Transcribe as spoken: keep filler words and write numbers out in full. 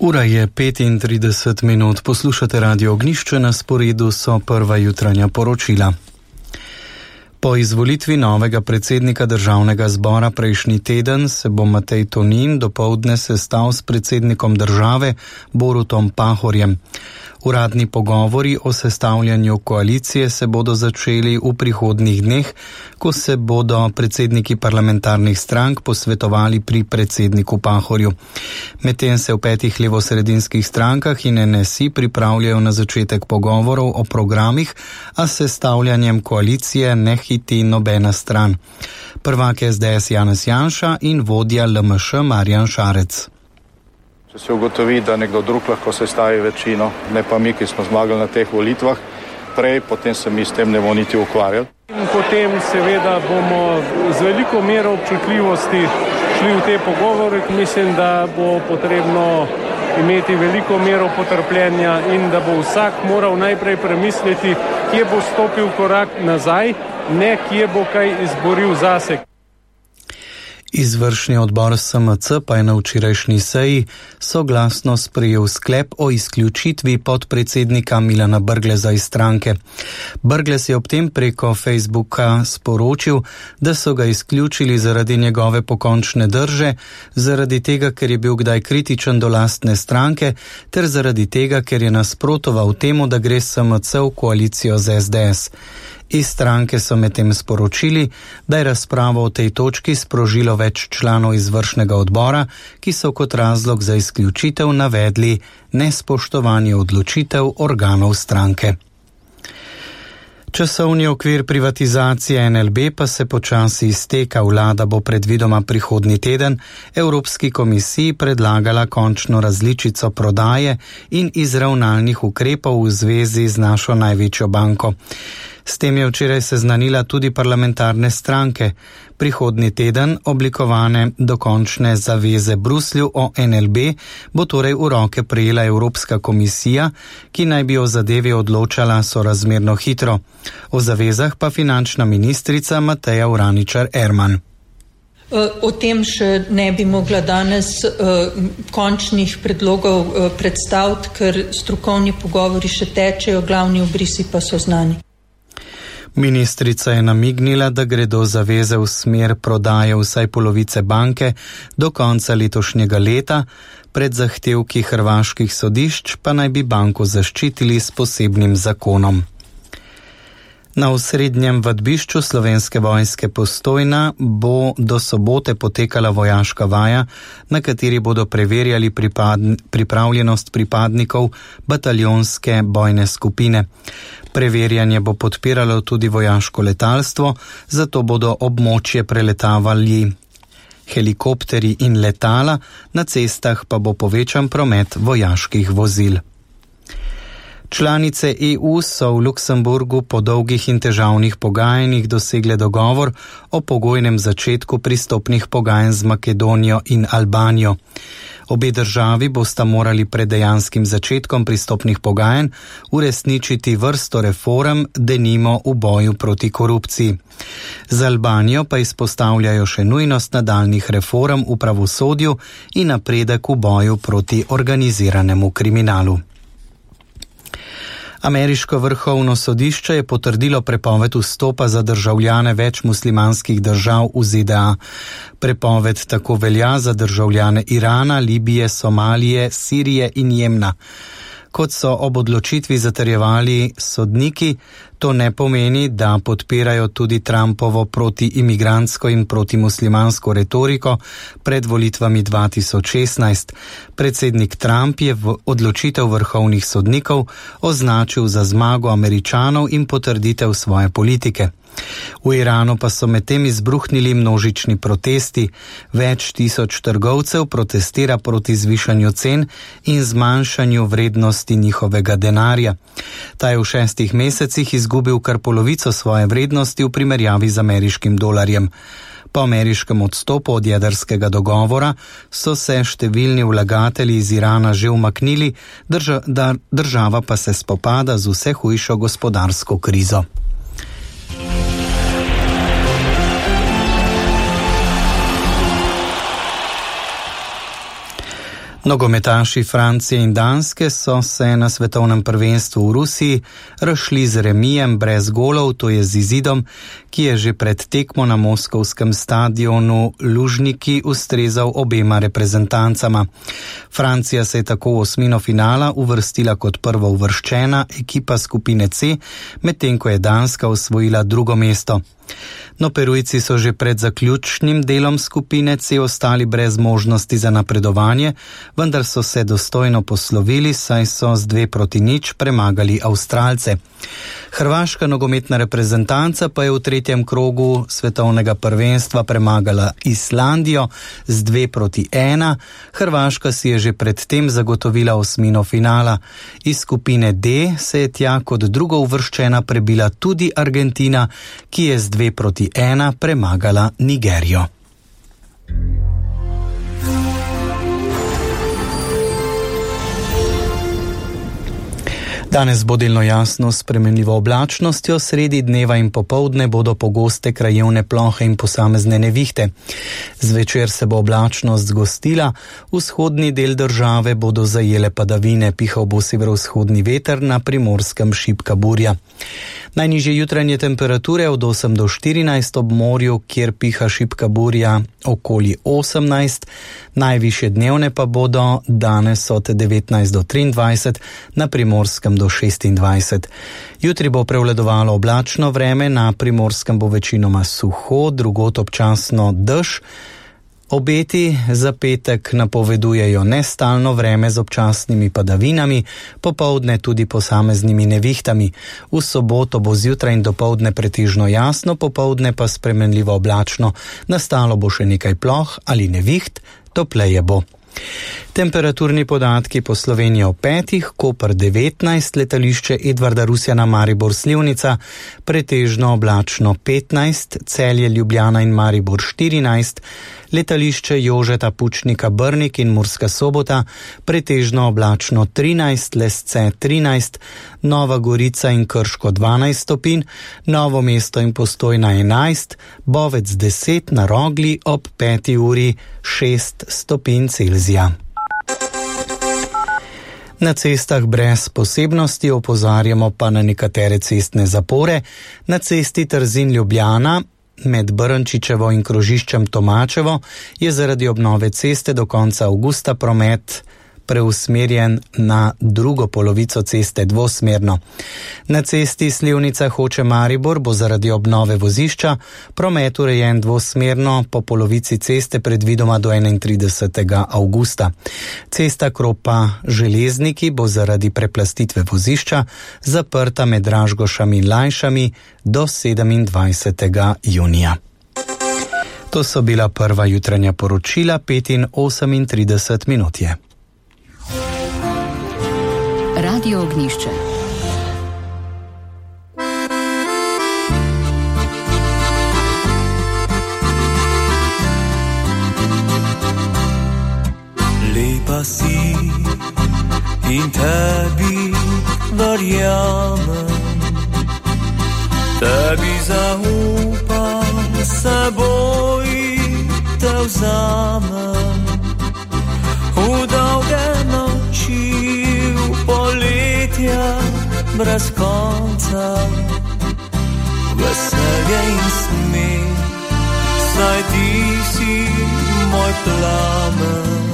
Ura je petintrideset minut, poslušate Radio Ognjišče, na sporedu so prva jutranja poročila. Po izvolitvi novega predsednika državnega zbora prejšnji teden se bo Matej Tonin dopoldne sestal s predsednikom države Borutom Pahorjem. Uradni pogovori o sestavljanju koalicije se bodo začeli v prihodnjih dneh, ko se bodo predsedniki parlamentarnih strank posvetovali pri predsedniku Pahorju. Medtem se v petih levosredinskih strankah in N S I pripravljajo na začetek pogovorov o programih, a s sestavljanjem koalicije ne hiti nobena stran. Prvak S D S Janez Janša in vodja L M Š Marjan Šarec. Če se ugotovi, da nekdo drug lahko sestavi večino, ne pa mi, ki smo zmagali na teh volitvah prej, potem se mi s tem ne bomo niti ukvarjali. In potem seveda bomo z veliko mero občutljivosti šli v te pogovore. Mislim, da bo potrebno imeti veliko mero potrpljenja in da bo vsak moral najprej premisliti, kje bo stopil korak nazaj, ne kje bo kaj izboril zase. Izvršni odbor S M C pa je na včerajšnji seji soglasno sprejel sklep o izključitvi podpredsednika Milana Brgleza iz stranke. Brglez je ob tem preko Facebooka sporočil, da so ga izključili zaradi njegove pokončne drže, zaradi tega, ker je bil kdaj kritičen do lastne stranke, ter zaradi tega, ker je nasprotoval temu, da gre S M C v koalicijo z S D S. Iz stranke so medtem sporočili, da je razpravo o tej točki sprožilo več članov izvršnega odbora, ki so kot razlog za izključitev navedli nespoštovanje odločitev organov stranke. Časovni okvir privatizacije N L B pa se počasi izteka. Vlada bo predvidoma prihodnji teden Evropski komisiji predlagala končno različico prodaje in izravnalnih ukrepov v zvezi z našo največjo banko. S tem je včeraj seznanila tudi parlamentarne stranke. Prihodnji teden oblikovane dokončne zaveze Bruslju o N L B bo torej v roke prejela Evropska komisija, ki naj bi o zadevi odločala sorazmerno hitro. O zavezah pa finančna ministrica Mateja Vraničar Erman. O tem še ne bi mogla danes uh, končnih predlogov uh, predstaviti, ker strokovni pogovori še tečejo, glavni obrisi pa so znani. Ministrica je namignila, da gredo zaveze v smer prodaje vsaj polovice banke do konca letošnjega leta, pred zahtevki hrvaških sodišč pa naj bi banko zaščitili s posebnim zakonom. Na osrednjem vadbišču Slovenske vojske Postojna bo do sobote potekala vojaška vaja, na kateri bodo preverjali pripadn- pripravljenost pripadnikov bataljonske bojne skupine. Preverjanje bo podpiralo tudi vojaško letalstvo, zato bodo območje preletavali helikopteri in letala, na cestah pa bo povečan promet vojaških vozil. Članice E U so v Luksemburgu po dolgih in težavnih pogajanjih dosegle dogovor o pogojnem začetku pristopnih pogajanj z Makedonijo in Albanijo. Obe državi bosta morali pred dejanskim začetkom pristopnih pogajanj uresničiti vrsto reform, denimo v boju proti korupciji. Za Albanijo pa izpostavljajo še nujnost nadaljnjih reform v pravosodju in napredek v boju proti organiziranemu kriminalu. Ameriško vrhovno sodišče je potrdilo prepoved vstopa za državljane več muslimanskih držav v Z D A. Prepoved tako velja za državljane Irana, Libije, Somalije, Sirije in Jemna. Kot so ob odločitvi zatrjevali sodniki, to ne pomeni, da podpirajo tudi Trumpovo protiimigrantsko in protimuslimansko retoriko pred volitvami dva tisoč šestnajst. Predsednik Trump je v odločitev vrhovnih sodnikov označil za zmago Američanov in potrditev svoje politike. V Iranu pa so medtem izbruhnili množični protesti. Več tisoč trgovcev protestira proti zvišanju cen in zmanjšanju vrednosti njihovega denarja. Ta je v šestih mesecih izgubil kar polovico svoje vrednosti v primerjavi z ameriškim dolarjem. Po ameriškem odstopu od jedrskega dogovora so se številni vlagatelji iz Irana že umaknili, drža, da, država pa se spopada z vse hujšo gospodarsko krizo. Nogometaši Francije in Danske so se na svetovnem prvenstvu v Rusiji razšli z remijem brez golov, to je z izidom, ki je že pred tekmo na moskovskem stadionu Lužniki ustrezal obema reprezentancama. Francija se je tako v osmino finala uvrstila kot prvo uvrščena ekipa skupine C, medtem ko je Danska osvojila drugo mesto. No, Perujci so že pred zaključnim delom skupine C ostali brez možnosti za napredovanje, vendar so se dostojno poslovili, saj so z dve proti nič premagali Avstralce. Hrvaška nogometna reprezentanca pa je v tretjem krogu svetovnega prvenstva premagala Islandijo z dve proti ena. Hrvaška si je že predtem zagotovila osmino finala. Iz skupine D se je tja kot drugo uvrščena prebila tudi Argentina, ki je z dve proti ena premagala Nigerijo. Danes bo delno jasno s spremenljivo oblačnostjo, sredi dneva in popoldne bodo pogoste krajevne plohe in posamezne nevihte. Zvečer se bo oblačnost zgostila, vzhodni del države bodo zajele padavine, pihal bo severovzhodni veter, na Primorskem šibka burja. Najnižje jutranje temperature od osem do štirinajst, ob morju, kjer piha šibka burja, okoli osemnajst, najvišje dnevne pa bodo danes od devetnajst do triindvajset, na Primorskem do šestindvajset. Jutri bo prevladovalo oblačno vreme, na Primorskem bo večinoma suho, drugod občasno dež. Obeti za petek napovedujejo nestalno vreme z občasnimi padavinami, popoldne tudi posameznimi nevihtami. V soboto bo zjutraj in dopoldne pretežno jasno, popoldne pa spremenljivo oblačno. Nastalo bo še nekaj ploh ali neviht, topleje bo. Temperaturni podatki po Sloveniji o petih, Koper devetnajst, letališče Edvarda Rusjana Maribor Slivnica, pretežno oblačno petnajst, Celje, Ljubljana in Maribor štirinajst, letališče Jožeta Pučnika Brnik in Murska Sobota, pretežno oblačno trinajst, Lesce trinajst, Nova Gorica in Krško dvanajst stopinj, Novo mesto in Postojna enajst, Bovec deset, na Rogli ob peti uri šest stopinj Celzija. Na cestah brez posebnosti opozarjamo pa na nekatere cestne zapore. Na cesti Trzin-Ljubljana med Brnčičevo in krožiščem Tomačevo je zaradi obnove ceste do konca avgusta promet preusmerjen na drugo polovico ceste dvosmerno. Na cesti Slivnica Hoče Maribor bo zaradi obnove vozišča promet urejen dvosmerno po polovici ceste predvidoma do enaintridesetega avgusta. Cesta Kropa Železniki bo zaradi preplastitve vozišča zaprta med Dražgošami in Lajšami do sedemindvajsetega junija. To so bila prva jutranja poročila, pet in osemintrideset minut je. Radio Ognjišče. Lepa si in tebi verjamem, tebi zaupam, seboj te vzamem. V dolge noči, v poletja brez konca, veselje in smeh, saj ti si moj plamen.